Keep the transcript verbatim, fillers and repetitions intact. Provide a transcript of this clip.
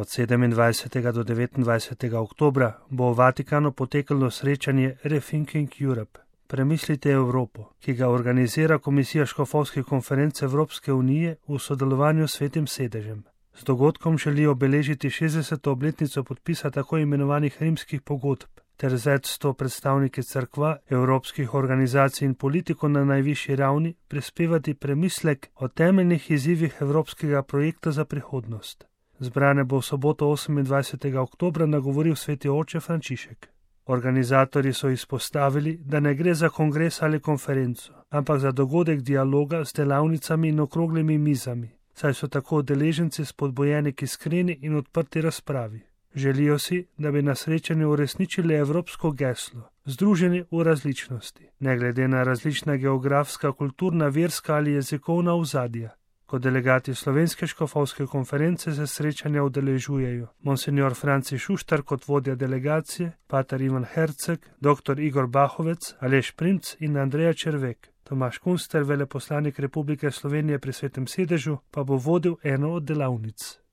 Od sedemindvajsetega do devetindvajsetega oktobra bo v Vatikanu potekalo srečanje Rethinking Europe. Premislite Evropo, ki ga organizira Komisija škofovskih konferenc Evropske unije v sodelovanju s Svetim sedežem. Z dogodkom želijo obeležiti šestdeseto obletnico podpisa tako imenovanih rimskih pogodb ter z več sto predstavniki cerkva, evropskih organizacij in politikov na najvišji ravni prispevati premislek o temeljnih izzivih evropskega projekta za prihodnost. Zbrane bo v soboto osemindvajsetega oktobra nagovoril sveti oče Frančišek. Organizatorji so izpostavili, da ne gre za kongres ali konferenco, ampak za dogodek dialoga s delavnicami in okroglimi mizami, saj so tako udeleženci spodbujeni k iskreni in odprti razpravi. Želijo si, da bi na srečanju uresničili evropsko geslo, združeni v različnosti, ne glede na različna geografska, kulturna, verska ali jezikovna ozadja. Kot delegati Slovenske škofovske konference se srečanja udeležujejo monsignor Franci Šuštar kot vodja delegacije, pater Ivan Herceg, doktor Igor Bahovec, Aleš Primc in Andreja Červek. Tomaž Kunster, veleposlanik Republike Slovenije pri Svetem sedežu, pa bo vodil eno od delavnic.